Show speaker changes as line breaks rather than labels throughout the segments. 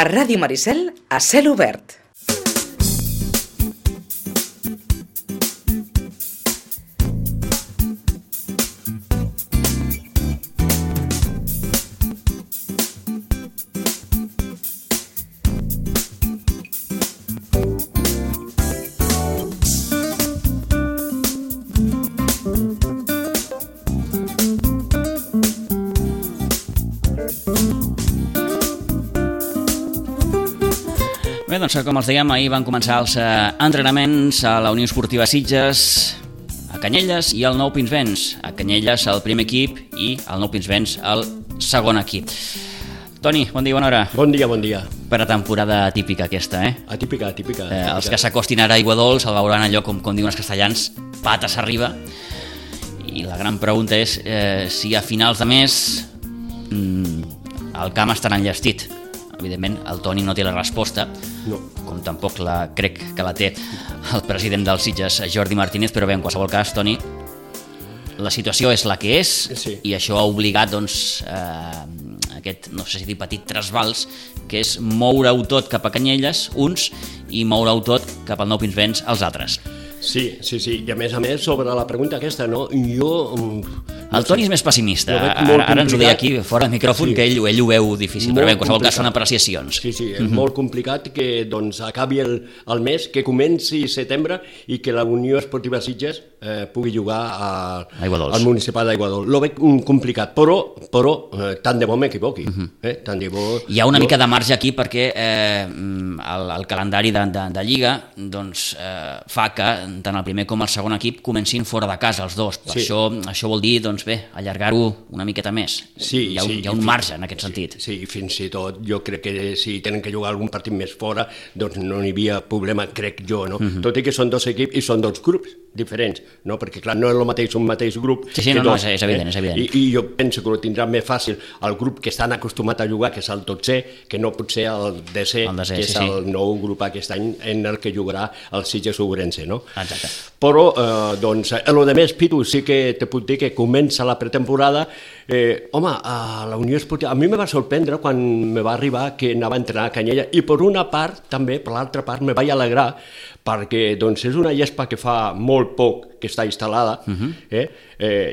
A Ràdio Maricel, a cel obert.
Bé, doncs com els dèiem, ahir van començar els entrenaments a la Unió Esportiva Sitges, a Canyelles i al Nou Pinsbens. A Canyelles el primer equip i al Nou Pinsbens el segon equip. Toni, bon dia, bona hora.
Bon dia, bon dia.
Per a temporada típica aquesta, eh?
Atípica.
Els que s'acostin ara a Aiguadols el veuran allò, com diuen els castellans, pates arriba. I la gran pregunta és si a finals de mes el camp estarà enllestit. Evidentment, el Toni no té la resposta,
no.
Com tampoc crec que la té el president dels Sitges, Jordi Martínez, però bé, en qualsevol cas, Toni, la situació és la que és,
sí.
I això ha obligat, doncs, aquest, no sé si dir petit trasbals, que és moure-ho tot cap a Canyelles, uns, i moure-ho tot cap al Nou Pinsbens, els altres.
Sí, i a més, sobre la pregunta aquesta, no?
El Toni és més pessimista, ara ens ho deia aquí fora de micròfon, sí. Que ell ho veu difícil, però bé, en qualsevol cas són apreciacions.
Sí, és molt complicat que acabi el mes, que comenci setembre i que la Unió Esportiva Sitges pugui jugar al municipal d'Aiguadols. Lo veig complicat, però tant de bo m'equivoqui. Tant de bo...
Hi ha una mica de marge aquí perquè el calendari de Lliga doncs, fa que tant el primer com el segon equip comencin fora de casa, els dos. Per això vol dir, doncs bé, allargar-ho una miqueta més. Hi ha un marge en aquest sentit.
Sí, fins i tot jo crec que si tenen que jugar algun partit més fora, doncs no hi havia problema, crec jo, no? Tot i que són dos equips i són dos grups diferents, no? Perquè clar, no és el mateix un mateix grup.
Sí, no, és evident, és evident.
I jo penso que ho tindrà més fàcil el grup que estan acostumat a jugar, que és el 12è, que no pot ser el 10è, que és el nou grup aquest any en el que jugarà el Sitges Ourense, no?
Exacte.
Però, doncs, el de més, Pitu, sí que te puc dir que comença la pretemporada. Home, a la Unió Esportiva, a mi me va sorprendre quan me va arribar que anava a entrenar a Canyella, i per una part, també, per l'altra part, me vaig alegrar, perquè doncs, és una gespa que fa molt poc que està instal·lada,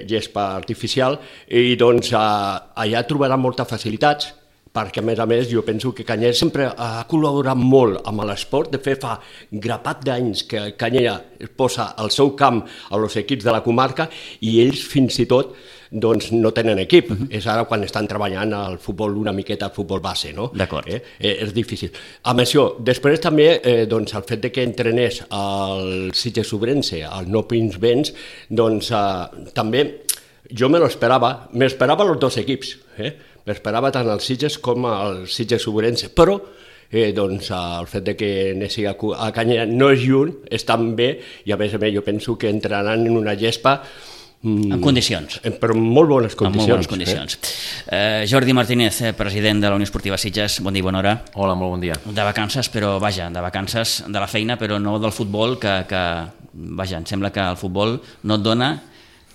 gespa artificial, i doncs allà trobarà moltes facilitats, perquè a més jo penso que Canyella sempre ha col·laborat molt amb l'esport. De fet, fa grapat d'anys que Canyella posa el seu camp als equips de la comarca i ells fins i tot doncs, no tenen equip. És ara quan estan treballant al futbol una miqueta, al futbol base, no?
D'acord.
És difícil. Amb això, després també doncs, el fet de que entrenés el Sitges Ourense, el Nou Pinsbens, doncs també jo m'esperava els dos equips, m'esperava tant el Sitges com el Sitges Ourense, però doncs, el fet de que anessi a Canyella no és lluny, és tan bé, i a més jo penso que entraran en una gespa
en condicions.
Però en molt bones condicions.
En molt bones condicions. Jordi Martínez, president de la Unió Esportiva Sitges, bon dia, bona hora.
Hola, molt bon dia.
De vacances, però vaja, de vacances de la feina, però no del futbol, que vaja, em sembla que el futbol no et dona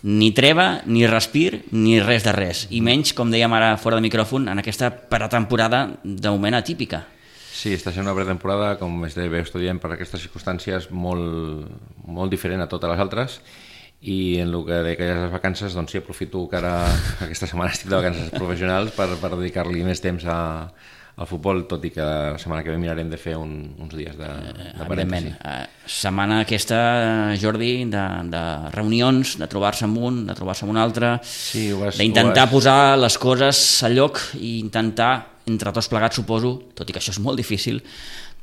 ni treva, ni respir, ni res de res. I menys, com dèiem ara fora de micròfon, en aquesta pretemporada de moment atípica.
Sí, està sent una pretemporada, com bé estudiem, per aquestes circumstàncies molt diferent a totes les altres, i en el que deia les vacances, doncs sí, aprofito que ara aquesta setmana estic de vacances professionals per dedicar-li més temps al futbol, tot i que la setmana que ve mirarem de fer uns dies de parèntesi.
Setmana aquesta, Jordi, de reunions, de trobar-se amb un, de trobar-se amb un altre, sí, d'intentar posar les coses al lloc i intentar, entre tots plegats, suposo, tot i que això és molt difícil,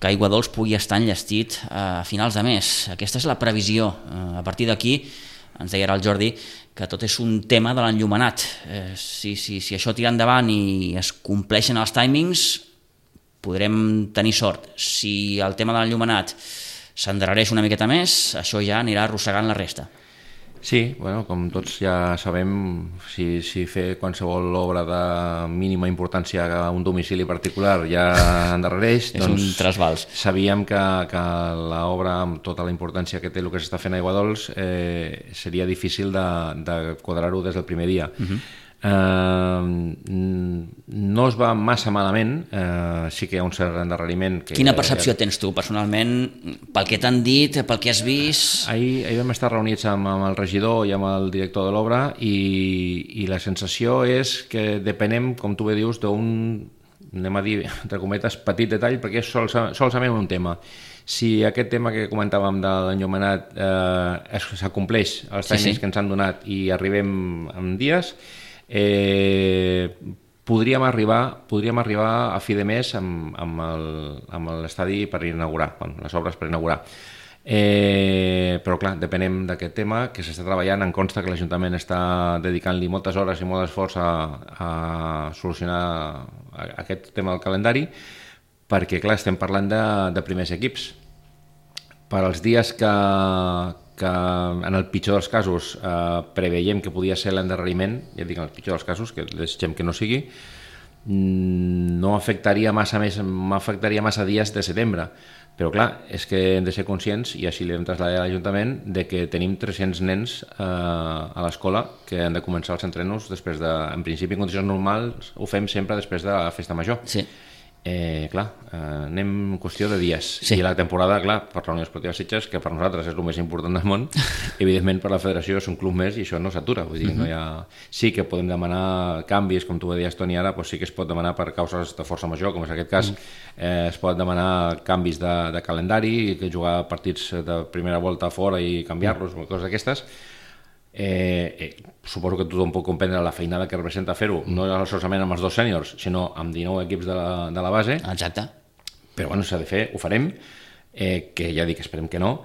que Aiguadols pugui estar enllestit a finals de mes. Aquesta és la previsió. A partir d'aquí, ens deia ara el Jordi, que tot és un tema de l'enllumenat. Si això tira endavant i es compleixen els timings, podrem tenir sort. Si el tema de l'enllumenat s'endarrereix una miqueta més, això ja anirà arrossegant la resta.
Sí, bueno, com tots ja sabem, si fer qualsevol obra de mínima importància a un domicili particular ja endarrereix,
és un trasbals.
Sabíem que l'obra, amb tota la importància que té el que s'està fent a Aiguadols, seria difícil de quadrar-ho des del primer dia. No es va massa malament, sí que hi ha un cert endarreriment.
Quina percepció tens tu personalment, pel que t'han dit, pel que has vist?
Ahir vam estar reunits amb el regidor i amb el director de l'obra i la sensació és que depenem, com tu bé dius, d'un, anem a dir, entre cometes, petit detall, perquè és solament un tema. Si aquest tema que comentàvem de l'enllumenat s'acompleix els timings que ens han donat i arribem en dies, podríem arribar a fi de mes amb l'estadi per inaugurar, les obres per inaugurar. Però clar, depenem d'aquest tema que s'està treballant. Em consta que l'Ajuntament està dedicant-li moltes hores i molt esforç a solucionar aquest tema del calendari, perquè clar, estem parlant de primers equips. Per als dies que en el pitjor dels casos preveiem que podia ser l'endarreriment, ja dic en el pitjor dels casos, que desitgem que no sigui, no m'afectaria massa dies de setembre. Però clar, és que hem de ser conscients, i així li hem traslladat a l'Ajuntament, de que tenim 300 nens a l'escola que han de començar els entrenos després de, en principi en condicions normals, ho fem sempre després de la festa major.
Sí.
Clar, anem en qüestió de dies. I la temporada, clar, per la Unió Esportiva Sitges, que per nosaltres és el més important del món, evidentment per la federació és un club més i això no s'atura. Vull dir, no hi ha... Sí que podem demanar canvis, com tu deies, Toni, ara, doncs sí que es pot demanar per causes de força major, com és aquest cas, es pot demanar canvis de calendari, que jugar partits de primera volta fora i canviar-los, coses d'aquestes. Suposo que tothom pot comprendre la feinada que representa fer-ho, no solament amb els 2 sèniors, sinó amb 19 equips de la base.
Exacte.
Però bueno, s'ha de fer, ho farem, que ja dic, esperem que no,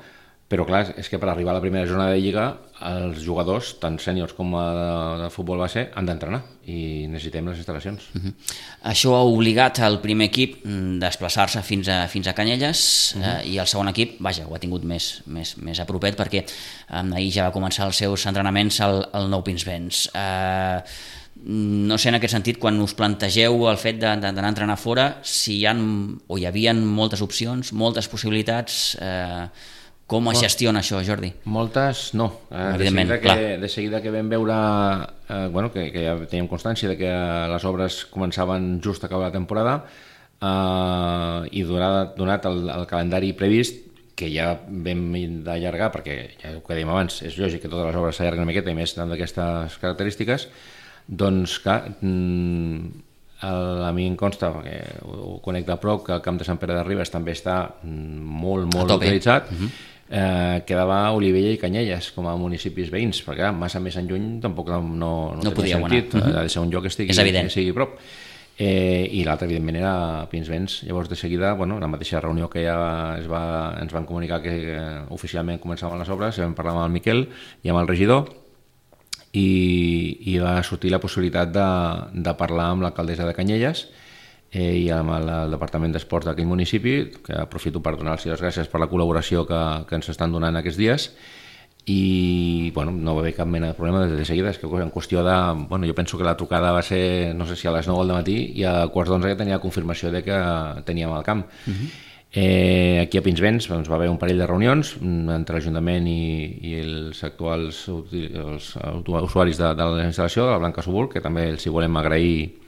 però clar, és que per arribar a la primera jornada de Lliga els jugadors, tant sèniors com de futbol base, han d'entrenar i necessitem les instal·lacions.
Això ha obligat el primer equip a desplaçar-se fins a Canyelles i el segon equip, vaja, ho ha tingut més a propet perquè ahir ja va començar els seus entrenaments al Nou Pinsbens. No sé, en aquest sentit, quan us plantegeu el fet d'anar a entrenar fora, si hi ha o hi havia moltes opcions, moltes possibilitats... Com es gestiona això, Jordi?
Moltes no.
Evidentment,
de seguida que vam veure, que ja teníem constància de que les obres començaven just a acabar la temporada i donat el calendari previst, que ja vam d'allargar, perquè ja ho que dèiem abans, és lògic que totes les obres s'allarguen una miqueta i més d'aquestes característiques, doncs clar, a mi em consta, perquè ho conec de prop, que el camp de Sant Pere de Ribes també està molt utilitzat. Quedava Olivella i Canyelles com a municipis veïns, perquè massa més en lluny tampoc no tenia sentit, ha de ser un lloc que sigui a prop. I l'altre evidentment era Pinsbens. Llavors de seguida, la mateixa reunió que ja ens van comunicar que oficialment començaven les obres, vam parlar amb el Miquel i amb el regidor i va sortir la possibilitat de parlar amb l'alcaldessa de Canyelles i amb el Departament d'Esports d'aquell municipi, que aprofito per donar-los les gràcies per la col·laboració que ens estan donant aquests dies, i no va haver cap mena de problema des de seguida. És que en qüestió de... jo penso que la trucada va ser, no sé si a les 9 del matí, i a quarts d'11 ja tenia confirmació de que teníem el camp. Aquí a Pinsbens va haver un parell de reunions entre l'Ajuntament i els actuals usuaris de la instal·lació, de la Blanca Subur, que també els hi volem agrair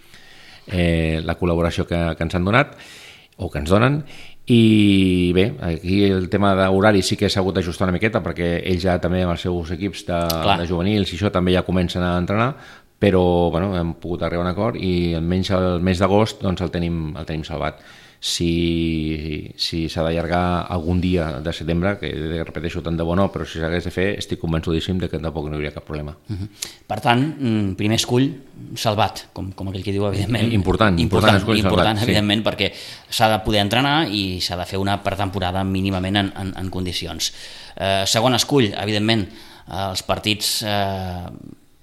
la col·laboració que ens han donat o que ens donen. I bé, aquí el tema d'horari sí que s'ha hagut d'ajustar una miqueta, perquè ells ja també amb els seus equips de juvenils i això també ja comencen a entrenar, però hem pogut arribar a un acord i almenys el mes d'agost el tenim salvat. Si s'ha d'allargar algun dia de setembre, que repeteixo, tant de bo no, però si s'hagués de fer estic convençudíssim que tampoc no hi hauria cap problema.
Per tant, primer escull salvat, com aquell que diu, evidentment.
Important,
evidentment, perquè s'ha de poder entrenar i s'ha de fer una pretemporada mínimament en condicions. Segon escull, evidentment, els partits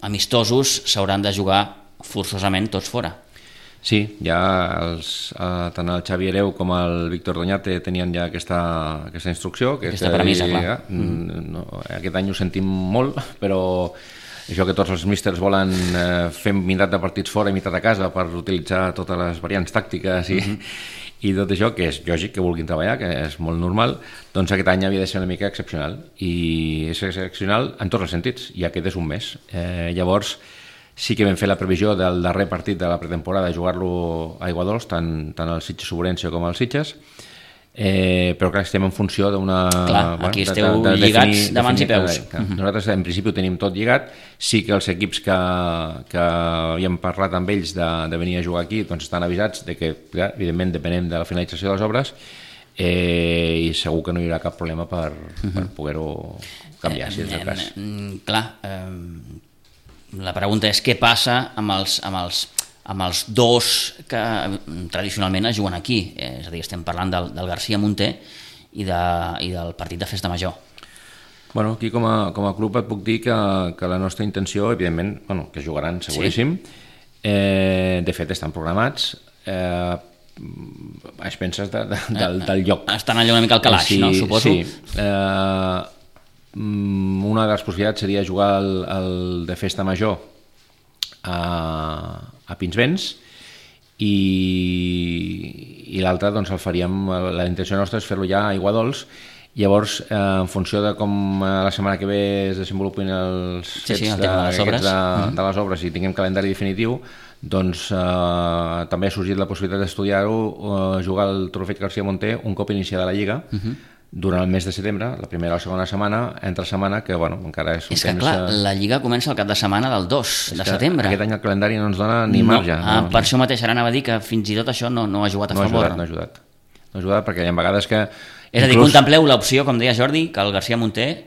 amistosos s'hauran de jugar forçosament tots fora.
Sí, ja tant el Xavi Hereu com el Víctor Doñate tenien ja aquesta instrucció.
Aquesta premissa, clar.
Aquest any ho sentim molt, però això que tots els místers volen fer meitat de partits fora i meitat a casa per utilitzar totes les variants tàctiques i tot això, que és lògic que vulguin treballar, que és molt normal, doncs aquest any havia de ser una mica excepcional, i és excepcional en tots els sentits, i aquest és un mes. Llavors, Sí que vam fer la previsió del darrer partit de la pretemporada, jugar-lo a Aiguadols, tant el Sitges-Ourense com el Sitges, però clar, estem en funció d'una...
Clar, aquí esteu lligats de mans i peus.
Nosaltres en principi ho tenim tot lligat, sí que els equips que havíem parlat amb ells de venir a jugar aquí doncs estan avisats de que, clar, evidentment, depenem de la finalització de les obres, i segur que no hi haurà cap problema per poder-ho canviar, si és el cas.
Clar, la pregunta és què passa amb els dos que tradicionalment es juguen aquí, és a dir, estem parlant del García Munter i del partit de Festa Major.
Bueno, aquí com a club et puc dir que la nostra intenció, evidentment, que jugaran seguríssim, de fet estan programats, a expenses del lloc.
Estan allà una mica al calaix, no? Suposo.
Sí, una de les possibilitats seria jugar el de Festa Major a Pinsbens i l'altre doncs el faríem, la intenció nostra és fer-lo ja a Aiguadols. Llavors, en funció de com la setmana que ve es desenvolupin els fets de les obres i tinguem calendari definitiu, doncs també ha sorgit la possibilitat d'estudiar-ho, jugar el Trofeig García Munter un cop iniciada la Lliga, durant el mes de setembre, la primera o la segona setmana, entre setmana, que encara és un temps...
És que clar, la Lliga comença el cap de setmana del 2 de setembre.
Aquest any el calendari no ens dona ni marge.
Per això mateix ara anava a dir que fins i tot això no ha jugat a favor.
No ha ajudat perquè hi ha vegades que...
És a dir, contempleu l'opció, com deia Jordi, que el García Munter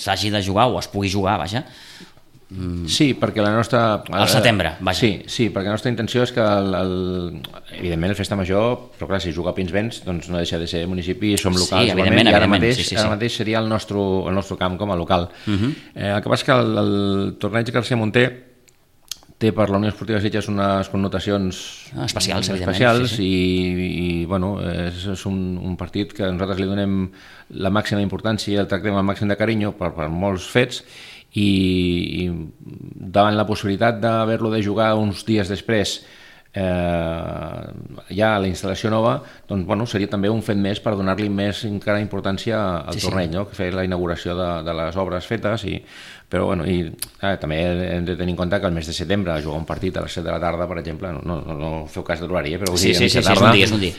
s'hagi de jugar o es pugui jugar, vaja.
Sí, perquè la nostra...
Al setembre, vaja.
Sí, perquè la nostra intenció és que, evidentment, el Festa Major, però clar, si juga a Pinsbens, doncs no deixa de ser municipi, som locals.
Sí, evidentment.
Ara mateix seria el nostre camp com a local. El que passa és que el torneig García Munter té per la Unió Esportiva Sitges unes connotacions
especials,
i bueno, és un partit que nosaltres li donem la màxima importància i el tractem amb el màxim de carinyo per molts fets, i davant la possibilitat d'haver-lo de jugar uns dies després ja a la instal·lació nova, doncs bueno, seria també un fet més per donar-li més encara importància al torneig, no? Que fer la inauguració de les obres fetes, però bueno, també hem de tenir en compte que el mes de setembre jugar un partit a les 7 de la tarda, per exemple, no feu cas de l'horari, però
és un dia.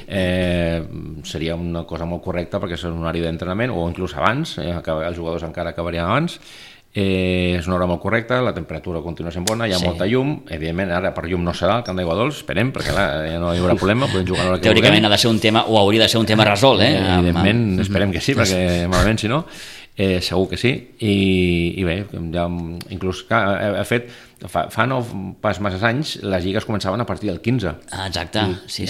Seria una cosa molt correcta perquè és un horari d'entrenament, o inclús abans, els jugadors encara acabarien abans. És una hora molt correcta, la temperatura continua sent bona, hi ha molta llum, evidentment ara per llum no serà el camp d'Aiguadols, esperem, perquè ja no hi haurà problema, podem jugar a l'hora que vulguem.
Teòricament ha de ser un tema, o hauria de ser un tema resolt,
evidentment, esperem que sí, perquè malament si no, segur que sí, i bé, ja inclús ha fet, fa no pas massa anys, les lligues començaven a partir del 15.
Exacte, sí.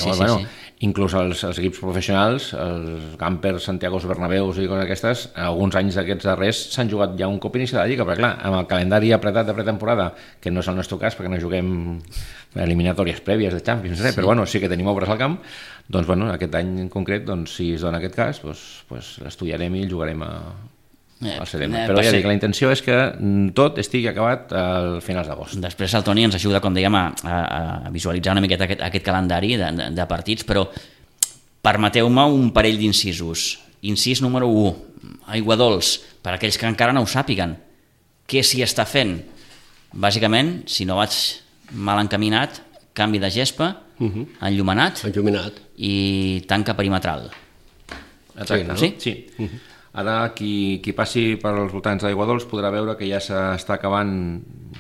Inclús els equips professionals, els Campers, Santiagos, Bernabeus i coses aquestes, alguns anys d'aquests darrers s'han jugat ja un cop iniciada la Lliga, perquè clar, amb el calendari apretat de pretemporada, que no és el nostre cas perquè no juguem eliminatòries prèvies de Champions, però bueno, sí que tenim obres al camp, doncs bueno, aquest any en concret, doncs, si es dona aquest cas, doncs l'estudiarem i el jugarem al setembre. Però ja dic, la intenció és que tot estigui acabat al finals d'agost.
Després el Toni ens ajuda, com dèiem, a visualitzar una miqueta aquest calendari de partits, però permeteu-me un parell d'incisos. Incís número 1, Aiguadols, per aquells que encara no ho sàpiguen, què s'hi està fent? Bàsicament, si no vaig mal encaminat, canvi de gespa, enllumenat i tanca perimetral.
Exacte, no? Sí. Ara, qui passi per als voltants d'Aiguadols podrà veure que ja s'està acabant,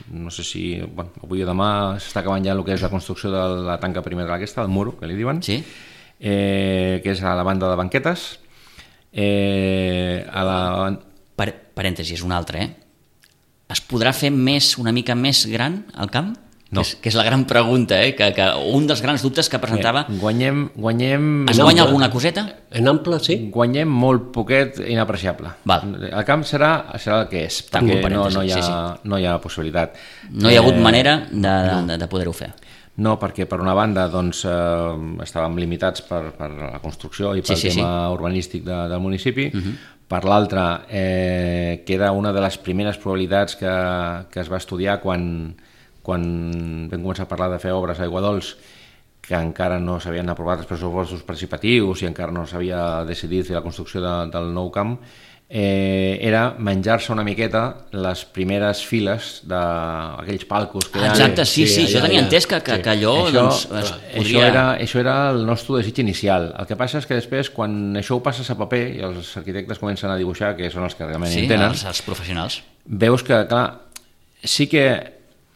no sé si avui o demà s'està acabant ja el que és la construcció de la tanca perimetral aquesta, el muro, que li diuen, que és a la banda de banquetes.
Parèntesis, un altre, es podrà fer una mica més gran el camp?
No.
Que és la gran pregunta, que un dels grans dubtes que presentava...
Guanyem...
Es guanya alguna coseta?
En ample, sí.
Guanyem molt poquet inapreciable. El camp serà el que és, perquè no hi ha possibilitat.
No hi ha hagut manera de poder-ho fer.
No, perquè per una banda doncs, estàvem limitats per la construcció i pel tema urbanístic del municipi. Per l'altra, que era una de les primeres probabilitats que es va estudiar quan vam començar a parlar de fer obres a Aiguadols, que encara no s'havien aprovat els pressupostos participatius i encara no s'havia decidit fer la construcció del nou camp, era menjar-se una miqueta les primeres files d'aquells palcos que hi ha.
Exacte, sí, jo tenia entès que allò
això era el nostre desig inicial. El que passa és que després, quan això ho passes a paper i els arquitectes comencen a dibuixar, que són els que realment entenen,
els professionals,
veus que, clar, sí que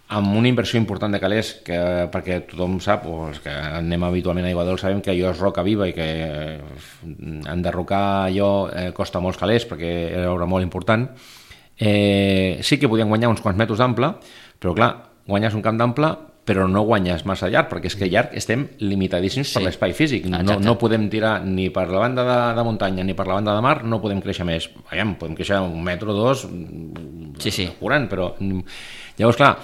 amb una inversió important de calés, perquè tothom sap, o els que anem habitualment a Aiguadols sabem que allò és roca viva i que enderrocar allò costa molts calés perquè era obra molt important. Sí que podien guanyar uns quants metres d'ample, però clar, guanyes un camp d'ample però no guanyes massa llarg, perquè és que llarg estem limitadíssims per l'espai físic. No podem tirar ni per la banda de muntanya ni per la banda de mar, no podem créixer més. Podem créixer 1 metre o 2 curant, però llavors, clar,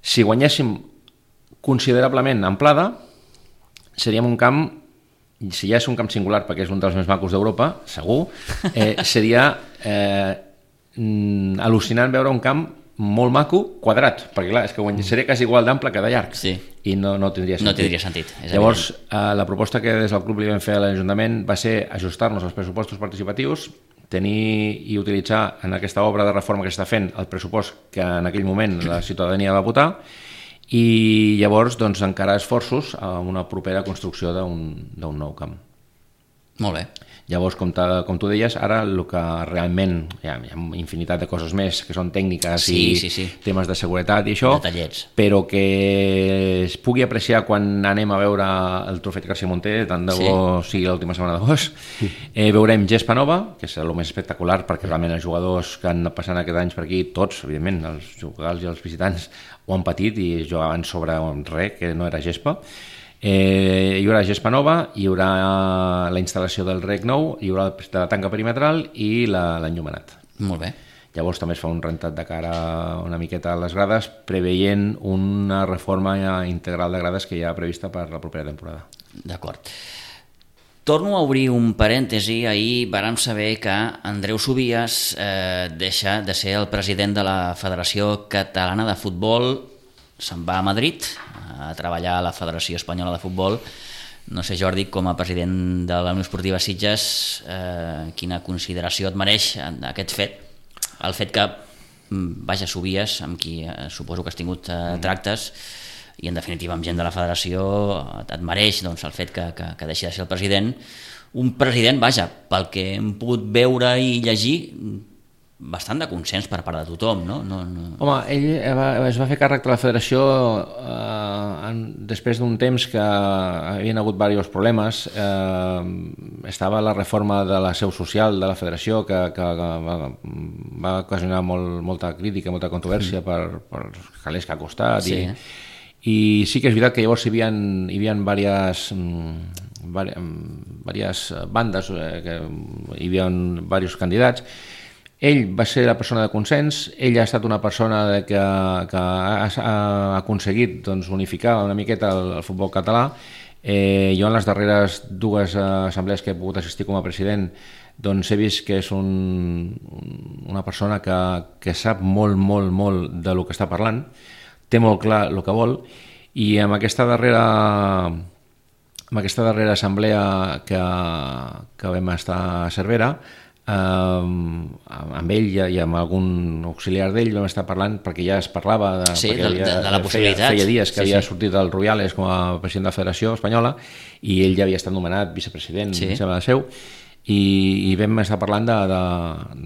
si guanyéssim considerablement amplada, seríem un camp, si ja és un camp singular perquè és un dels més macos d'Europa, segur, seria al·lucinant veure un camp molt maco, quadrat, perquè clar, és que seria quasi igual d'ample que de llarg, i no tindria sentit.
No tindria sentit.
Llavors, la proposta que des del club li vam fer a l'Ajuntament va ser ajustar-nos als pressupostos participatius, tenir i utilitzar en aquesta obra de reforma que s'està fent el pressupost que en aquell moment la ciutadania va votar, i llavors doncs, encarar esforços a una propera construcció d'un nou camp.
Molt bé.
Llavors, com tu deies, ara el que realment hi ha infinitat de coses més que són tècniques i temes de seguretat i això,
detallets,
però que es pugui apreciar quan anem a veure el Trofeig García Monter, tant de bo sigui l'última setmana d'agost. Veurem gespa nova, que és el més espectacular, perquè realment els jugadors que han passat aquests anys per aquí, tots, evidentment, els jugadors i els visitants, ho han patit i jugaven sobre res, que no era gespa. Hi haurà gespa nova, hi haurà la instal·lació del rec nou, hi haurà la tanca perimetral i l'enllumenat.
Molt bé.
Llavors també es fa un rentat de cara una miqueta a les grades, preveient una reforma integral de grades que hi ha prevista per la propera temporada.
D'acord. Torno a obrir un parèntesi. Ahir vàrem saber que Andreu Subias deixa de ser el president de la Federació Catalana de Futbol, se'n va a Madrid a treballar a la Federació Espanyola de Futbol. No sé, Jordi, com a president de la Unió Esportiva Sitges, quina consideració et mereix aquest fet? El fet que, Subias, amb qui suposo que has tingut tractes, i en definitiva amb gent de la federació, et mereix el fet que deixi de ser el president. Un president, pel que hem pogut veure i llegir, bastant de consens per part de tothom, no?
Home, ell es va fer càrrec de la federació després d'un temps que havien hagut diversos problemes. Estava la reforma de la seu social de la federació que va ocasionar molta crítica, molta controvèrsia per els calés que ha costat. I sí que és veritat que llavors hi havia diverses bandes, hi havia diversos candidats. Ell va ser la persona de consens, ell ha estat una persona que ha aconseguit unificar una miqueta el futbol català. Jo en les darreres 2 assemblees que he pogut assistir com a president he vist que és una persona que sap molt, molt, molt de lo que està parlant, té molt clar el que vol, i amb aquesta darrera assemblea que vam estar a Cervera, amb ell i amb algun auxiliar d'ell vam estar parlant, perquè ja es parlava de
la possibilitat.
Feia dies que havia sortit del Rubiales com a president de la Federació Espanyola i ell ja havia estat nomenat vicepresident i vam estar parlant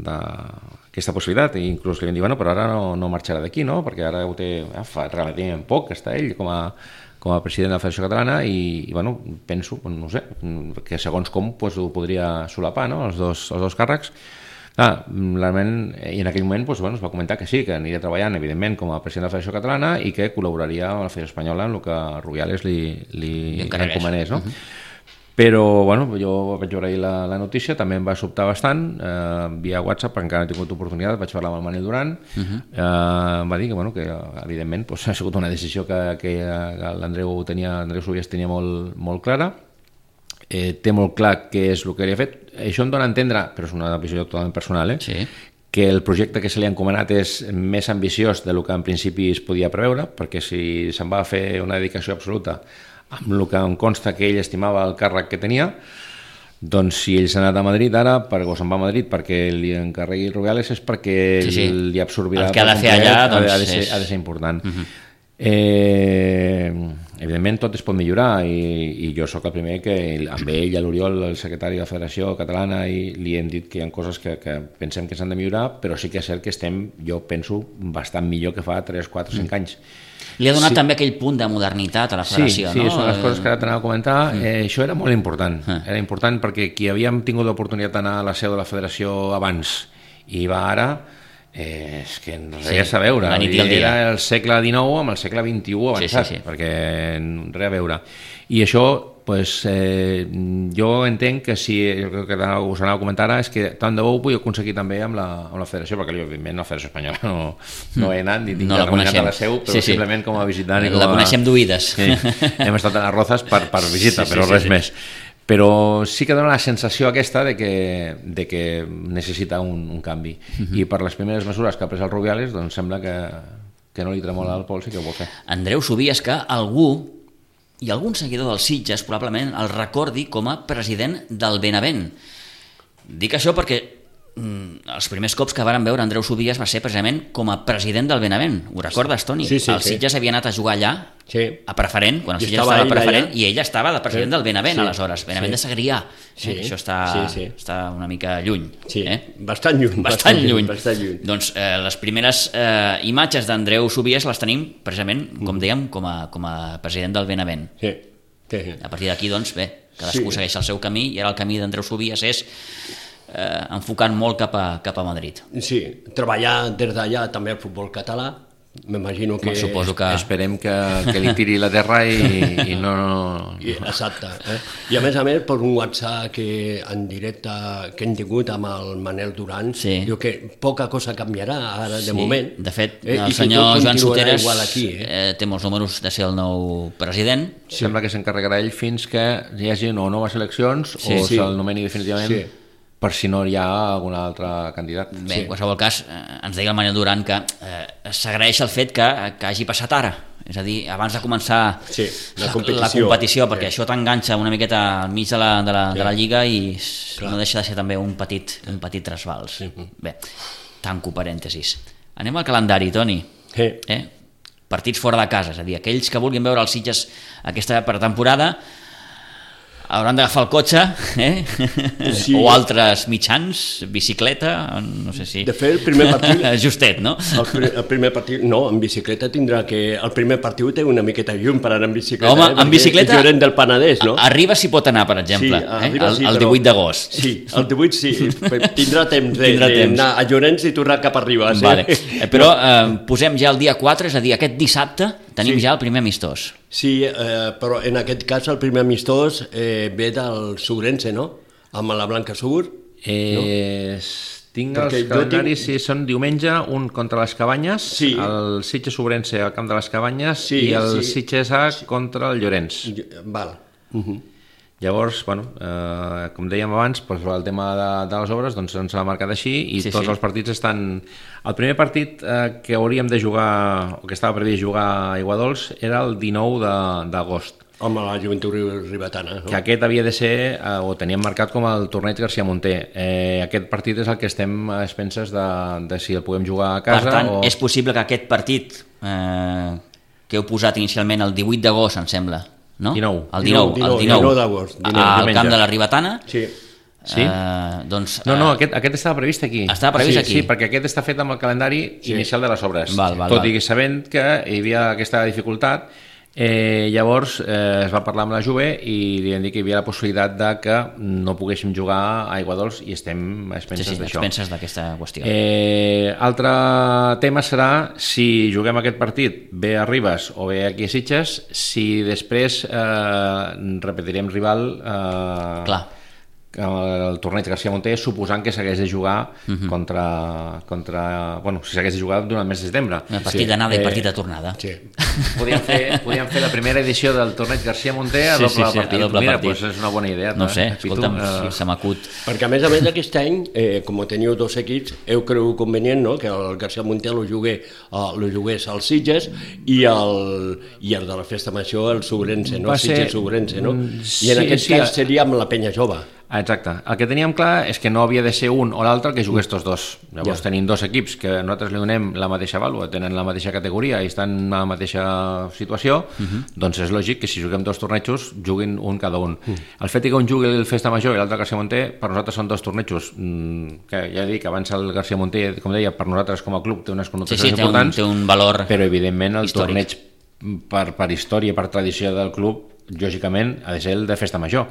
d'aquesta possibilitat, i inclús li vam dir, però ara no marxarà d'aquí, no? Perquè ara ho té fa relativament poc que està ell com a president de la Federació Catalana, i penso, no sé, que segons com ho podria solapar, no? els dos càrrecs. Realment, i en aquell moment es va comentar que sí, que aniria treballant evidentment com a president de la Federació Catalana i que col·laboraria amb la Federació Espanyola en el que Rubiales li encomanés, no? Però jo vaig veure ahir la notícia, també em va sobtar bastant, via WhatsApp, perquè encara no he tingut oportunitat, vaig parlar amb el Manel Duran, em va dir que evidentment ha sigut una decisió que l'Andreu Subias tenia molt clara, té molt clar què és el que li ha fet. Això em dona a entendre, però és una visió totalment personal, que el projecte que se li ha encomanat és més ambiciós del que en principi es podia preveure, perquè si se'n va fer una dedicació absoluta amb el que em consta que ell estimava el càrrec que tenia, Doncs si ell s'ha anat a Madrid ara, o se'n va a Madrid perquè li encarregui el Rubiales, és perquè li absorbirà...
El que ha de fer allà
ha de ser important. Evidentment tot es pot millorar i jo sóc el primer que amb ell i l'Oriol, el secretari de la Federació Catalana, li hem dit que hi ha coses que pensem que s'han de millorar, però sí que és cert que estem, jo penso, bastant millor que fa 3, 4, 5 anys.
Li ha donat també aquell punt de modernitat a la federació,
no? Sí, són les coses que ara t'anava a comentar. Això era molt important. Era important perquè qui havíem tingut l'oportunitat d'anar a la seu de la federació abans i va ara, és que res a veure. Era el segle XIX amb el segle XXI avançat, perquè res a veure. I això, jo entenc que si el que us anava a comentar ara és que tant de bo ho vull aconseguir també amb la federació, perquè evidentment la federació espanyola no he anat ni tinc reunit a la seu, però simplement com a visitant.
La coneixem d'oïdes.
Hem estat a les Rozas per visita, però res més. Però sí que dona la sensació aquesta de que necessita un canvi. I per les primeres mesures que ha pres el Rubiales, doncs sembla que no li tremola el pols i que ho vol fer.
Andreu Subies, que algun seguidor dels Sitges probablement el recordi com a president del Benavent. Dic això perquè els primers cops que varen veure Andreu Subies va ser precisament com a president del Benavent. Ho recordes, Toni?
Sí.
El Sitges havia anat a jugar allà, a preferent, quan el Sitges estava a preferent, i ell estava de president del Benavent, aleshores. Benavent de Segrià. Això està una mica lluny.
Bastant lluny.
Doncs les primeres imatges d'Andreu Subies les tenim precisament, com dèiem, com a president del Benavent. A partir d'aquí, doncs, bé, cadascú segueix el seu camí, i ara el camí d'Andreu Subies és enfocant molt cap a Madrid.
Sí, treballar des d'allà també al futbol català, m'imagino que...
Suposo que...
Esperem que li tiri la terra i no...
Exacte. I a més, per un WhatsApp en directe que hem tingut amb el Manel Duran, diu que poca cosa canviarà ara de moment.
De fet, el senyor Joan Soteres té molts números de ser el nou president.
Sembla que s'encarregarà ell fins que hi hagi o noves eleccions o se'l nomeni definitivament per si no hi ha algun altre candidat.
Bé, en qualsevol cas, ens deia el Manel Duran que s'agraeix el fet que hagi passat ara, és a dir, abans de començar la competició, perquè això t'enganxa una miqueta al mig de la Lliga i no deixa de ser també un petit trasbals. Bé, tanco parèntesis. Anem al calendari, Toni. Partits fora de casa, és a dir, aquells que vulguin veure els Sitges aquesta pretemporada hauran d'agafar el cotxe o altres mitjans, bicicleta, no sé si...
De fet, el primer partit...
Justet, no?
El primer partit... No, en bicicleta tindrà que... El primer partit té una miqueta llum per anar en bicicleta.
Home, en bicicleta...
El del Penedès, no?
Arriba si pot anar, per exemple, el 18 d'agost.
Sí, el 18 sí. Tindrà temps d'anar a Llorenç i tornar cap a Ribes.
Però posem ja el dia 4, és a dir, aquest dissabte tenim ja el primer amistós.
Sí, però en aquest cas el primer amistós ve del Subrense, no? Amb la Blanca Sur.
Tinc els calendaris, són diumenge, un contra les Cabanyes, el Sitges Subrense al camp de les Cabanyes i el Sitges A contra el Llorenç.
Val.
Llavors, com dèiem abans, el tema de les obres ens l'ha marcat així i tots els partits estan... El primer partit que hauríem de jugar, o que estava previst jugar a Aiguadols, era el 19 d'agost.
Amb la Joventut Ribetana.
Que aquest havia de ser, o teníem marcat com el torneig García Monter. Aquest partit és el que estem a expenses de si el podem jugar a casa.
Per tant, és possible que aquest partit que heu posat inicialment el 18 d'agost, em sembla, no? El 19
d'agost.
Al camp de la Ribetana.
Sí.
No, aquest estava previst aquí.
Estava previst aquí?
Sí, perquè aquest està fet amb el calendari inicial de les obres. Tot i sabent que hi havia aquesta dificultat, llavors es va parlar amb la Juve i li han dit que hi havia la possibilitat de que no poguéssim jugar a Aiguadols i estem a expenses d'això.
A expenses d'aquesta qüestió.
Altre tema serà si juguem aquest partit bé a Ribes o bé aquí a Sitges, si després repetirem rival el torneig García Monter, suposant que s'hagués de jugar si s'hagués de jugar durant el mes de setembre.
Partit d'anada i partit de tornada.
Podríem fer la primera edició del torneig García Monter a doble partit. Mira, és una bona idea.
No sé, escolta'm, se m'acut.
Perquè a més aquest any, com teniu dos equips, heu cregut convenient que el García Monter lo jugués als Sitges i el de la Festa Major el Subrense, el Sitges Subrense, no? I en aquest cas seria amb la Penya Jove.
Exacte. El que teníem clar és que no havia de ser un o l'altre que jugués tots dos. Llavors tenim dos equips que nosaltres li donem la mateixa vàlua, tenen la mateixa categoria i estan en la mateixa situació, doncs és lògic que si juguem dos tornejos juguin un cada un. El fet que un jugui el Festa Major i l'altre García Monter, per nosaltres són dos tornejos que ja dic, abans el García Monter, com deia, per nosaltres com a club té unes connotacions importants,
té un valor
però evidentment el
històric.
torneig per història, per tradició del club, lògicament ha de ser el de Festa Major.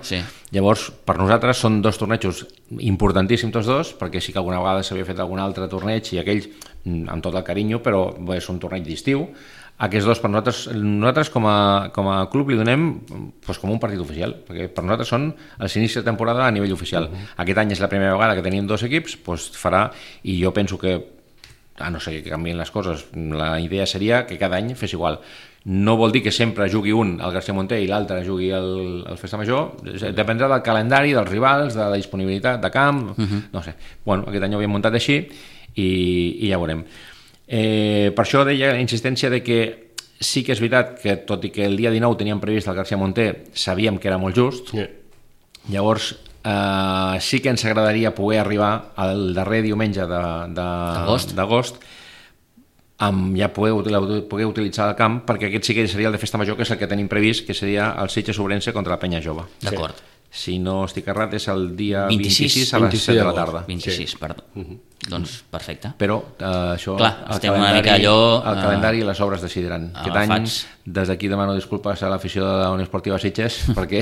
Llavors, per nosaltres són dos tornejos importantíssims tots dos, perquè sí que alguna vegada s'havia fet algun altre torneig i aquells amb tot el carinyo, però és un torneig d'estiu. Aquests dos per nosaltres com a club li donem com un partit oficial, perquè per nosaltres són els inicis de temporada a nivell oficial. Aquest any és la primera vegada que tenim dos equips, farà, i jo penso que a no ser que canvien les coses, la idea seria que cada any fes igual. No vol dir que sempre jugui un al García Monter i l'altre jugui al Festa Major, dependrà del calendari, dels rivals, de la disponibilitat de camp, no sé. Bueno, aquest any ho havíem muntat així i ja veurem. Per això deia la insistència de que sí que és veritat que tot i que el dia 19 teníem previst el García Monter, sabíem que era molt just, llavors sí que ens agradaria poder arribar al darrer diumenge d'agost ja poder utilitzar el camp, perquè aquest sí que seria el de Festa Major, que és el que tenim previst, que seria el Sitges Ourense contra la Penya Jove.
D'acord.
Si no estic errat, és el dia 26 a les 7 de la tarda.
26, perdó. Doncs perfecte.
Però això...
Clar, estem una mica allò...
El calendari i les obres decidiran. Aquest any, des d'aquí demano disculpes a l'afició de la Unió Esportiva Sitges, perquè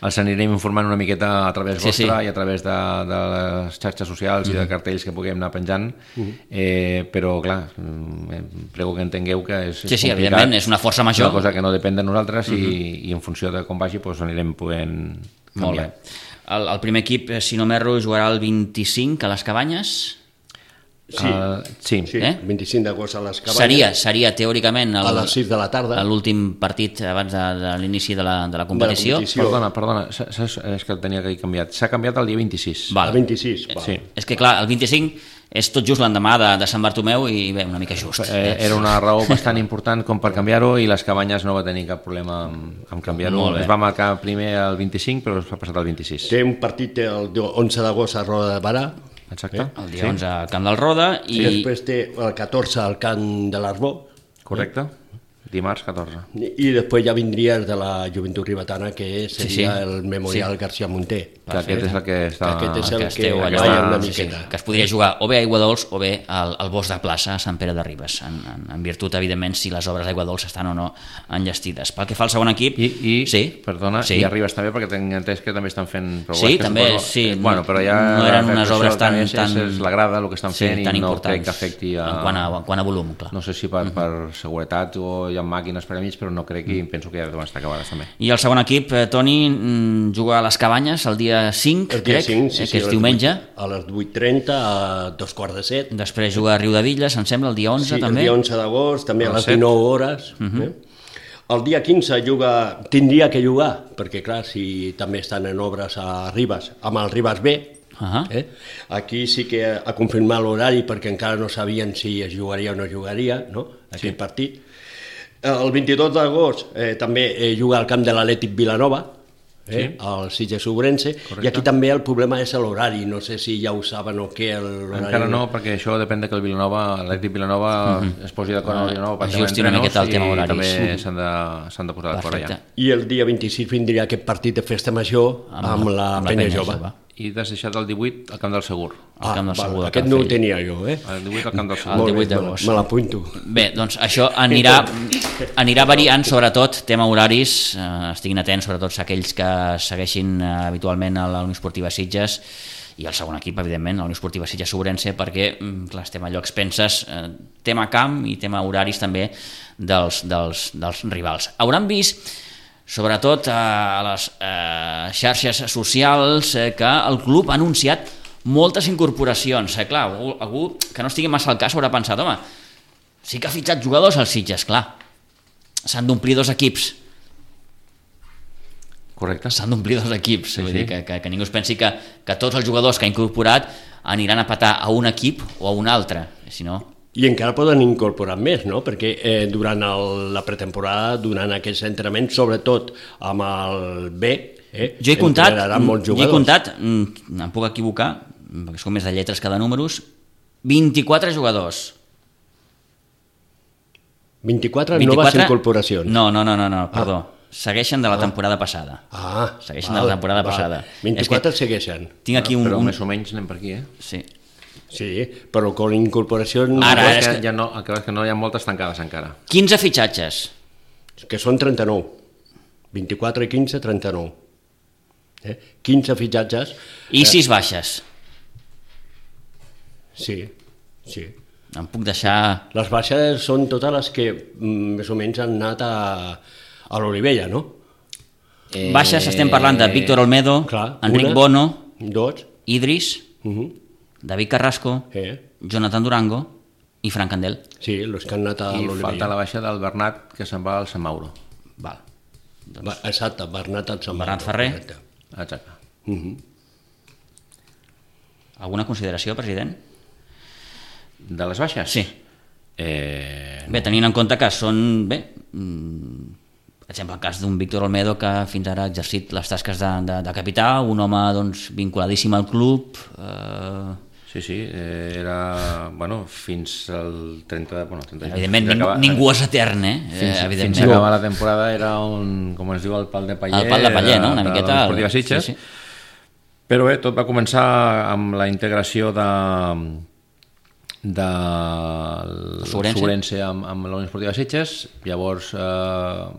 els anirem informant una miqueta a través vostra i a través de les xarxes socials i de cartells que puguem anar penjant, però clar, prego que entengueu que és
complicat. Sí, evidentment, és una força major.
Una cosa que no depèn de nosaltres i en funció de com vagi anirem podent canviar.
Molt bé. El primer equip, si no m'erro, jugarà el 25 a les Cabanyes.
Sí, 25 d'agost a les Cabanyes.
Seria teòricament
a les 6 de la tarda
l'últim partit abans de l'inici de la competició.
Perdona, és que el tenia que canviat. S'ha canviat el dia 26.
El 26,
sí. És que clar, el 25 és tot just l'endemà de Sant Bartomeu i bé, una mica just.
Era una raó bastant important com per canviar-ho i les Cabanyes no va tenir cap problema amb canviar-ho. Es va marcar primer el 25 però es va passar al 26.
Té un partit el 11 d'agost a Roda de Barà.
Exacte.
El dia 11 al Camp del Roda
i després té el 14 al Camp de l'Arbó.
Correcte. Dimarts 14.
I després ja vindria el de la Joventut Ribetana, que seria el Memorial García Monter.
Que aquest és el que està...
Aquest és el que balla una miqueta.
Que es podria jugar o bé a Aiguadols o bé al Bosc de Plaça a Sant Pere de Ribes, en virtut, evidentment, si les obres d'Aiguadols estan o no enllestides. Pel que fa al segon equip...
Perdona, i a Ribes també, perquè tinc entès que també estan fent...
Sí, també, sí.
Bueno, però ja...
No eren unes obres tan...
És la grada el que estan fent i no crec que afecti a...
En quant a volum, clar.
No sé si per seguretat o hi ha màquines per mig, però no crec i penso que ja deuen estar acabades també.
I el segon equip, Toni, juga a les Cabanyes el dia 5, crec, que és diumenge.
A les 8:30, a 2:45.
Després juga a Riudevilles, em sembla, el dia 11 també.
Sí, el dia 11 d'agost, també a les 19 hores. El dia 15 tindria que jugar, perquè clar, si també estan en obres a Ribes, amb el Ribes B, aquí sí que ha confirmat l'horari perquè encara no sabien si es jugaria o no jugaria, aquest partit. El 22 d'agost també juga al camp de l'Atlètic Vilanova, al Sitges Ourense, i aquí també el problema és l'horari, no sé si ja ho saben o què.
Encara no, perquè això depèn que l'Atlètic Vilanova es posi d'acord amb el Vilanova
ajusti una miqueta el tema horari.
També s'han de posar d'acord allà.
I el dia 26 vindria aquest partit de Festa Major amb la Penya Jove.
I t'has deixat el 18 al Camp del Segur.
Aquest no ho tenia jo,
El 18 al Camp del Segur.
El 18 d'agost.
Me l'apunto.
Bé, doncs això anirà variant, sobretot, tema horaris, estiguin atents, sobretot aquells que segueixin habitualment a la Unió Esportiva Sitges i el segon equip, evidentment, la Unió Esportiva Sitges Ourense, perquè, clar, estem allò expenses, tema camp i tema horaris també dels rivals. Hauran vist sobretot a les xarxes socials que el club ha anunciat moltes incorporacions. Clar, algú que no estigui massa al cas haurà pensat, home, sí que ha fitxat jugadors als Sitges, clar, s'han d'omplir dos equips.
Correcte.
S'han d'omplir dos equips, vull dir que ningú es pensi que tots els jugadors que ha incorporat aniran a petar a un equip o a un altre, si no...
I encara poden incorporar més, no? Perquè durant la pretemporada, durant aquests entrenaments, sobretot amb el B,
Jo he comptat, em puc equivocar, perquè són més de lletres que de números, 24 jugadors.
24 noves incorporacions.
No, perdó. Segueixen de la temporada passada. Segueixen de la temporada passada.
24 segueixen.
Tinc aquí
però més o menys anem per aquí,
Sí, però con incorporacions...
Ara,
el que és que no hi ha moltes tancades encara.
15 fitxatges.
Que són 39. 24 i 15, 39. 15 fitxatges.
I 6 baixes.
Sí.
Em puc deixar...
Les baixes són totes les que més o menys han anat a l'Olivella, no?
Baixes estem parlant de Víctor Olmedo, Enric Bono, Idris, David Carrasco, Jonathan Durango i Fran Candel.
Sí, els que han anat a l'Olivella.
I falta la baixa del Bernat, que se'n va al Sant Mauro.
Val.
Exacte, Bernat al Sant Mauro.
Bernat Ferrer.
Exacte.
Alguna consideració, president?
De les baixes?
Sí. Bé, tenint en compte que són... Bé, per exemple, el cas d'un Víctor Olmedo que fins ara ha exercit les tasques de capità, un home doncs, vinculadíssim al club...
Sí, era, fins al 30...
Evidentment, ningú és etern,
Fins a acabar la temporada era com es diu, el pal de paller.
El pal de paller, no? Una miqueta...
L'Esportiva Sitges. Sí. Però bé, tot va començar amb la integració del Sobrense amb la Unió Esportiva Sitges. Llavors el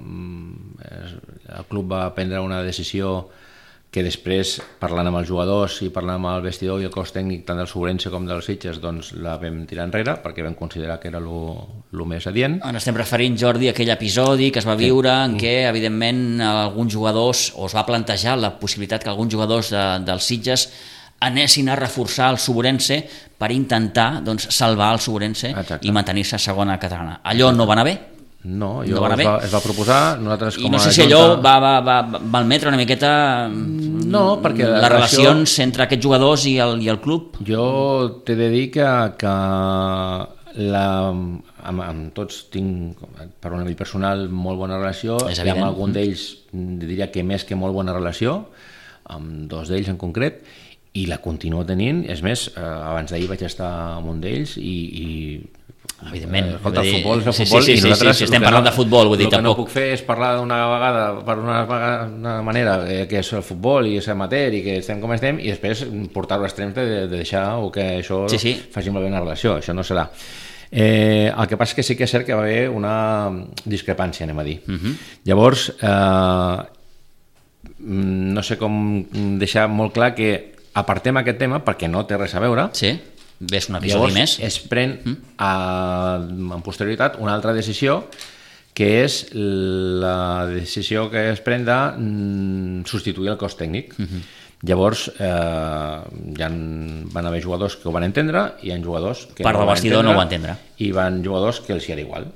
club va prendre una decisió que després, parlant amb els jugadors i parlant amb el vestidor i el cos tècnic tant del Sobrense com dels Sitges, doncs la vam tirar enrere perquè vam considerar que era el més adient.
Ens estem referint, Jordi, a aquell episodi que es va viure en què, evidentment, alguns jugadors, o es va plantejar la possibilitat que alguns jugadors dels Sitges anessin a reforçar el Sobrense per intentar salvar el Sobrense i mantenir-se a segona catalana. Allò no va anar bé?
No, es va proposar, nosaltres com a
I no sé si allò va malmetre una miqueta perquè les relacions entre aquests jugadors i el club.
Jo t'he de dir que amb tots tinc, per un nivell personal, molt bona relació, i amb algun d'ells diria que més que molt bona relació, amb dos d'ells en concret, i la continuo tenint. És més, abans d'ahir vaig estar amb un d'ells i
evidentment,
escolta, el futbol és el futbol i nosaltres
estem parlant de futbol, vull dir,
el que no puc fer és parlar d'una vegada per una manera que és el futbol i és amateur i que estem com estem i després portar-ho a extrems de deixar o que això faci malbé una relació, això no serà. El que passa és que sí que és cert que va haver una discrepància, anem a dir. Llavors no sé com deixar molt clar que apartem aquest tema perquè no té res a veure.
Ves un episodi més.
Es pren en posterioritat una altra decisió que és la decisió que es pren de substituir el cos tècnic. Llavors van haver jugadors que ho van entendre i hi ha jugadors que
part del vestidor no ho van entendre
i van jugadors que els hi era igual.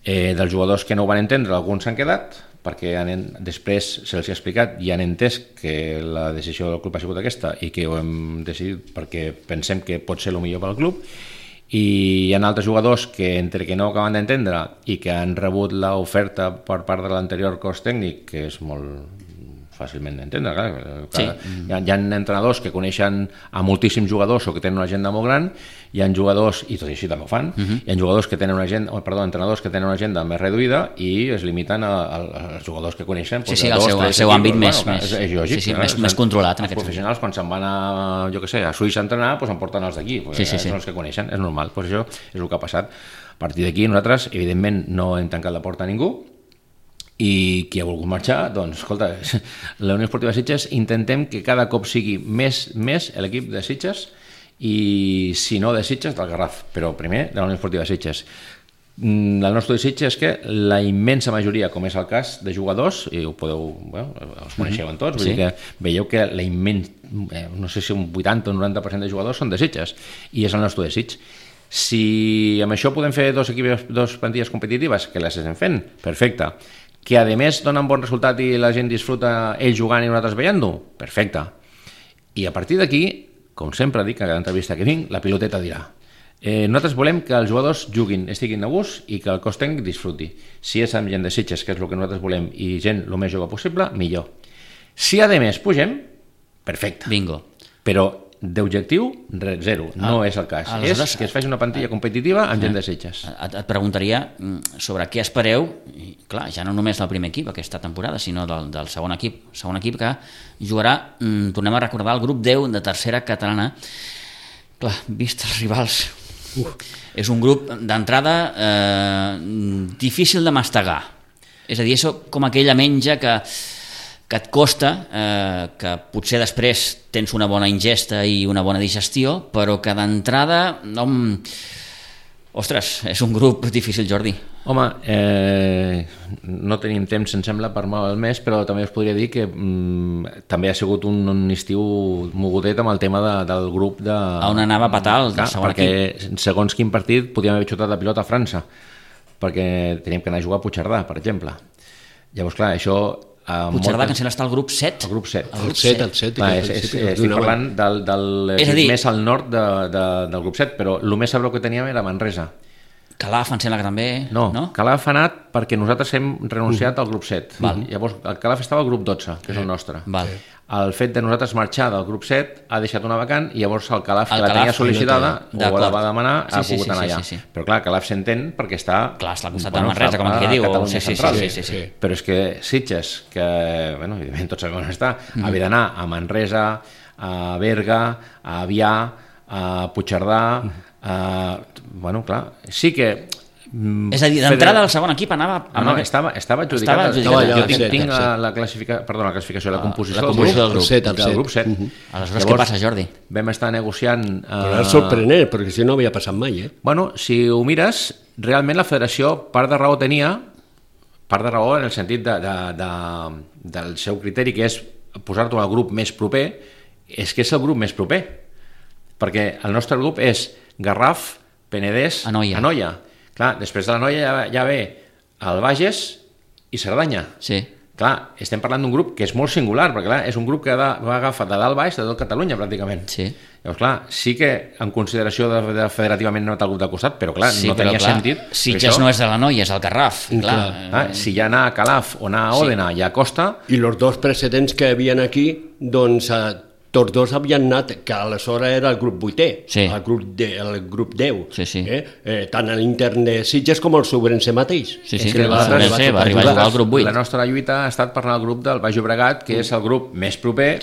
Dels jugadors que no ho van entendre, alguns s'han quedat perquè després se'ls ha explicat i han entès que la decisió del club ha sigut aquesta i que ho hem decidit perquè pensem que pot ser el millor pel club, i hi ha altres jugadors que entre que no acaben d'entendre i que han rebut l'oferta per part de l'anterior cos tècnic, que és molt fàcilment d'entendre, hi ha entrenadors que coneixen a moltíssims jugadors o que tenen una agenda molt gran, hi ha jugadors, i tot i així també ho fan, hi ha jugadors que tenen entrenadors que tenen una agenda més reduïda i es limiten als jugadors que coneixen.
El seu àmbit més controlat.
Els professionals, quan se'n van a Suïssa a entrenar, em porten els d'aquí, són els que coneixen, és normal, això és el que ha passat. A partir d'aquí nosaltres, evidentment, no hem tancat la porta a ningú, i qui ha volgut marxar, doncs escolta, la Unió Esportiva Sitges intentem que cada cop sigui més l'equip de Sitges i si no de Sitges del Garraf, però primer de la Unió Esportiva Sitges. El nostre desig és que la immensa majoria, com és el cas de jugadors, i ho podeu, els coneixeu en tots, vull dir que veieu que la no sé si un 80 o 90% de jugadors són de Sitges i és el nostre desig. Si amb això podem fer dos plantilles competitives, que les estem fent, perfecte. Que a més donen bon resultat i la gent disfruta ells jugant i nosaltres veient-ho, perfecte. I a partir d'aquí, com sempre dic a cada entrevista que vinc, la piloteta dirà. Nosaltres volem que els jugadors juguin, estiguin a gust i que el cos tècnic disfruti. Si és amb gent de Sitges, que és el que nosaltres volem, i gent el més jove possible, millor. Si a més pugem, perfecte.
Bingo.
Però d'objectiu, zero. No és el cas. És que es faci una plantilla competitiva amb gent de Sitges.
Et preguntaria sobre què espereu, i, clar, ja no només del primer equip aquesta temporada, sinó del segon equip. Segon equip que jugarà, tornem a recordar, el grup 10 de tercera catalana. Clar, vist els rivals, és un grup d'entrada difícil de mastegar. És a dir, és com aquella menja que et costa, que potser després tens una bona ingesta i una bona digestió, però que d'entrada, ostres, és un grup difícil, Jordi.
Home, no tenim temps, em sembla, per mal al mes, però també us podria dir que també ha sigut un estiu mogudet amb el tema del grup de...
On anava a petar el segon equip.
Perquè segons quin partit podíem haver xutat la pilota a França, perquè teníem que anar a jugar a Puigcerdà, per exemple. Llavors, clar, això...
Puigcerdà, que em sembla està al grup 7.
El grup 7.
El 7.
Estic parlant del més al nord del grup 7, però el més a prop que teníem era Manresa.
Calaf, em sembla que també...
No? Calaf ha anat perquè nosaltres hem renunciat al grup 7. Llavors, el Calaf estava al grup 12, que és el nostre. El fet de nosaltres marxar del grup 7 ha deixat una vacant i llavors el Calaf, que la tenia sol·licitada, o la va demanar, ha pogut anar allà. Però clar, Calaf s'entén perquè està...
Clar, està al costat de Manresa, com aquí diu.
Sí. Però és que Sitges, que, evidentment tots sabem on està, havia d'anar a Manresa, a Berga, a Avià, a Puigcerdà... clar, sí que...
És a dir, d'entrada el segon equip anava...
Estava adjudicat. Jo tinc la classificació, la composició del grup 7.
Aleshores, què passa, Jordi?
Vam estar negociant...
Però és sorprenent, perquè si no havia passat mai,
Bueno, si ho mires, realment la federació part de raó tenia, part de raó en el sentit del seu criteri, que és posar-t'ho al grup més proper, és que és el grup més proper. Perquè el nostre grup és Garraf, Penedès, Anoia. Clar, després de l'Anoia ja ve el Bages i Cerdanya.
Sí.
Clar, estem parlant d'un grup que és molt singular, perquè clar, és un grup que va agafar de dalt baix de tot Catalunya, pràcticament.
Sí.
Llavors, clar, sí que en consideració de federativament no té el grup de costat, però clar, no tenia sentit.
Sitges no és de l'Anoia, és el Garraf.
Si ja anar a Calaf o anar a Òdena ja costa...
I els dos precedents que havien aquí, doncs... tots dos havien anat, que aleshores era el grup 8è, el grup 10, tant a l'intern de Sitges com el Sobrense mateix.
Va arribar a jugar al grup 8.
La nostra lluita ha estat per anar al grup del Baix Llobregat, que és el grup més proper,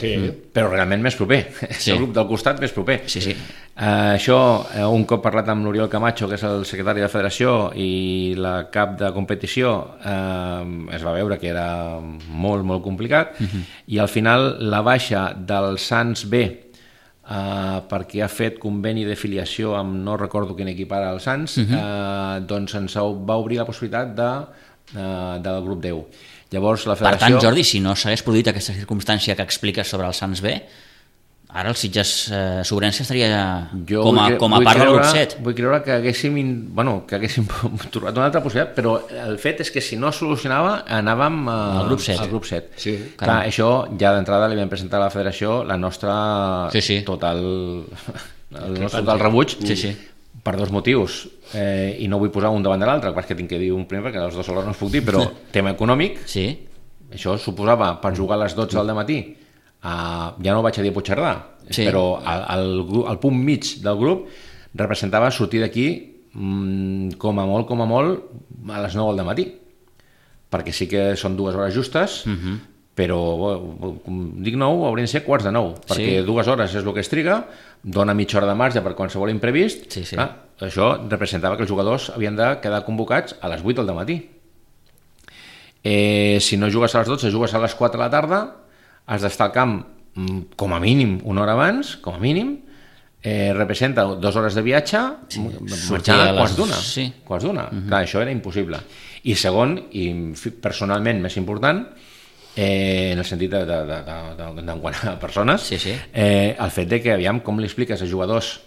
però realment més proper. És el grup del costat més proper. Això, un cop parlat amb l'Oriol Camacho, que és el secretari de federació i la cap de competició, es va veure que era molt, molt complicat, i al final la baixa del Sants B, perquè ha fet conveni de filiació amb no recordo quin equip ara el Sants, doncs ens va obrir la possibilitat del grup 10. Llavors, la federació...
Per tant, Jordi, si no s'hagués produït aquesta circumstància que expliques sobre el Sants B, ara el Sitges Sobrense estaria com a part del grup 7.
Vull creure que haguéssim trobat una altra possibilitat, però el fet és que si no es solucionava anàvem al grup 7. Clar, això ja d'entrada li vam presentar a la federació la nostra total rebuig per dos motius, i no vull posar un davant de l'altre, perquè tinc que dir un primer perquè els dos alhora no us puc dir, però tema econòmic, això suposava per jugar a les 12 del matí, ja no vaig a dir Puigcerdà, però el punt mig del grup representava sortir d'aquí com a molt a les 9 del matí, perquè sí que són 2 hores justes, però dic 9, haurien de ser quarts de 9, perquè 2 hores és el que es triga, dona mitja hora de marge per qualsevol imprevist. Això representava que els jugadors havien de quedar convocats a les 8 del matí. Si no jugues a les 12, jugues a les 4 de la tarda, has d'estar al camp com a mínim una hora abans, com a mínim, representa 2 hores de viatge, marxar a quarts d'una. Clar, això era impossible. I segon, i personalment més important, en el sentit d'enquant a persones, el fet de que, aviam, com li expliques a jugadors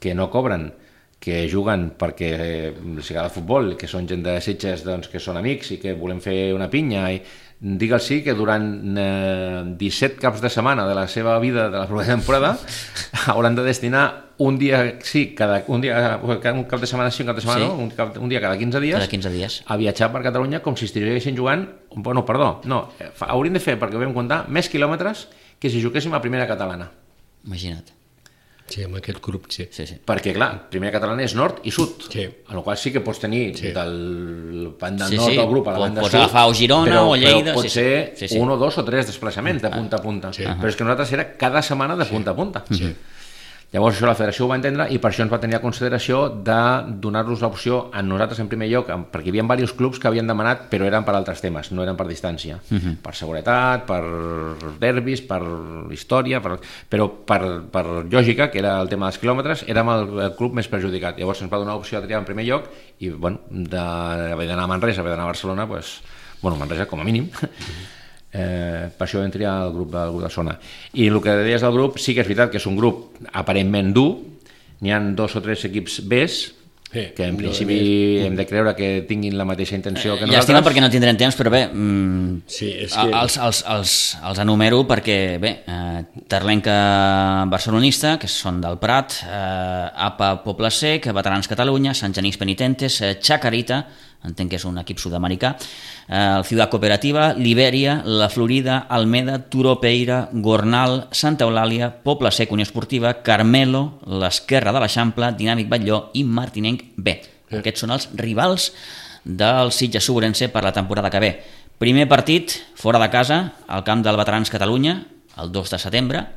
que no cobren, que juguen perquè els agrada el futbol, que són gent de Sitges, doncs, que són amics i que volem fer una pinya, i digue'ls que durant 17 caps de setmana de la seva vida de la propera temporada hauran de destinar un dia, un cap de setmana sí, un cap de setmana no, un dia cada 15 dies, a viatjar per Catalunya com si estiguessin jugant, haurien de fer, perquè vam comptar, més quilòmetres que si juguéssim a primera catalana.
Imagina't.
Sí, amb aquest grup, sí.
Perquè, clar, primera catalana és nord i sud, en la qual sí que pots tenir del banda nord del grup a la banda sud.
Pots agafar o Girona o Lleida.
Però pot ser 1 o 2 o 3 desplaçaments de punta a punta. Però és que nosaltres era cada setmana de punta a punta. Llavors això la federació ho va entendre i per això ens va tenir a consideració de donar-nos l'opció a nosaltres en primer lloc, perquè hi havia diversos clubs que havien demanat, però eren per altres temes, no eren per distància, per seguretat, per derbis, per història, però per lògica, que era el tema dels quilòmetres, érem el club més perjudicat. Llavors ens va donar l'opció de triar en primer lloc i d'haver d'anar a Manresa, haver d'anar a Barcelona, Manresa com a mínim, per això vam triar el grup de zona. I el que deies del grup, sí que és veritat que és un grup aparentment dur, n'hi ha 2 o 3 equips Bs que en principi hem de creure que tinguin la mateixa intenció que nosaltres.
Llàstima perquè no tindrem temps, però bé, els enumero perquè bé, Terlenca barcelonista, que són del Prat, APA Poble Sec, Veterans Catalunya, Sant Genís Penitentes, Chacarita, entenc que és un equip sud-americà, el Ciutat Cooperativa, Liberia, La Florida, Almeda, Turopeira, Gornal, Santa Eulàlia, Poble Sec, Unió Esportiva, Carmelo, l'Esquerra de l'Eixample, Dinàmic Batlló i Martinenc B. Aquests són els rivals del Sitges Ourense per la temporada que ve. Primer partit, fora de casa, al camp del Veterans Catalunya, el 2 de setembre,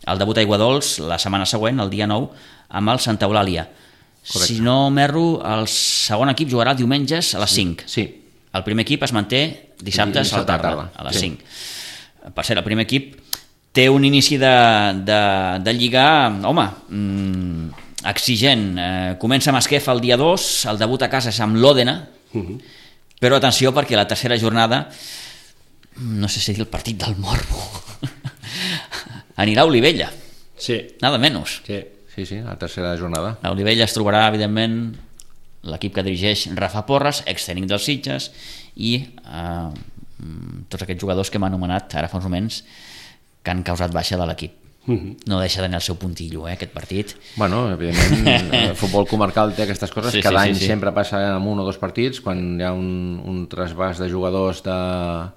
el debut a Aiguadols la setmana següent, el dia 9, amb el Santa Eulàlia. Correcte. Si no m'erro, el segon equip jugarà diumenges a les 5.
Sí.
El primer equip es manté dissabtes a la tarda, a les 5. Per cert, el primer equip té un inici de lliga, exigent. Comença amb Esquefa el dia 2, el debut a casa és amb l'Òdena, però atenció perquè la tercera jornada, no sé si dir el partit del Morbo, anirà a Olivella.
Sí.
Nada menos.
Sí, la tercera jornada.
A Olivella es trobarà, evidentment, l'equip que dirigeix Rafa Porres, ex-tècnic dels Sitges, i tots aquests jugadors que hem anomenat ara fa uns moments que han causat baixa de l'equip. No deixa d'anar el seu puntillo, aquest partit.
Evidentment, el futbol comarcal té aquestes coses, cada any sempre passa en 1 o 2 partits, quan hi ha un trasbàs de jugadors d'una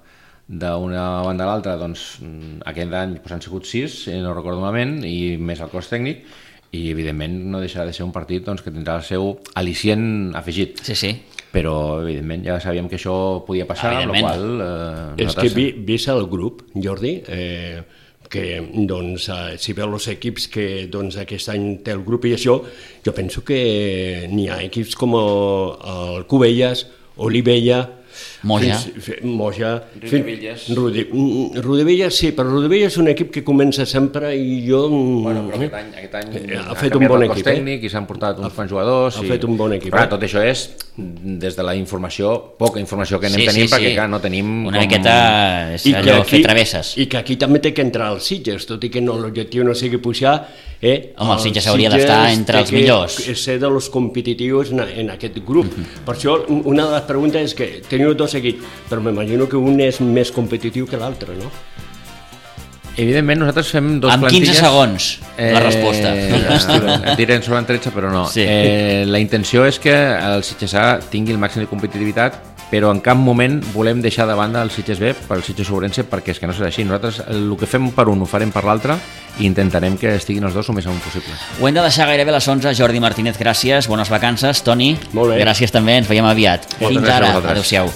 banda a l'altra, doncs aquest any han sigut 6, no recordo malament, i més el cos tècnic, i evidentment no deixarà de ser un partit que tindrà el seu al·licient afegit.
Sí.
Però evidentment ja sabíem que això podia passar, amb la qual
és que vist el grup, Jordi, que doncs, si veu els equips que doncs, aquest any té el grup i això, jo penso que n'hi ha equips com el Cubelles, Olivella,
Moja,
Rodevelles sí, però Rodevelles és un equip que comença sempre i jo...
però aquest any
ha fet un bon equip,
tècnic i s'han portat uns quants jugadors.
Ha fet un bon equip.
Però tot això és des de la informació, poca informació que anem tenint, perquè clar, no tenim...
Una miqueta és allò, fer travesses.
I que aquí també té que entrar els Sitges, tot i que l'objectiu no sigui pujar...
Home, el Sitges hauria d'estar entre els millors.
Ser de los competitius en aquest grup. Per això, una de les preguntes és que teniu 2 equips, però m'imagino que un és més competitiu que l'altre, no?
Evidentment, nosaltres fem 2
plantilles...
Amb
15 segons, la resposta.
Et diré en sobren 13, però no.
Sí.
La intenció és que el Sitges A tingui el màxim de competitivitat, però en cap moment volem deixar de banda el Sitges B pel Sitges Ourense, perquè és que no serà així. Nosaltres el que fem per un ho farem per l'altre i intentarem que estiguin els 2 el més amunt possible.
Ho hem de deixar gairebé a les 11. Jordi Martínez, gràcies, bones vacances. Toni, gràcies també, ens veiem aviat. Fins ara, adéu-siau.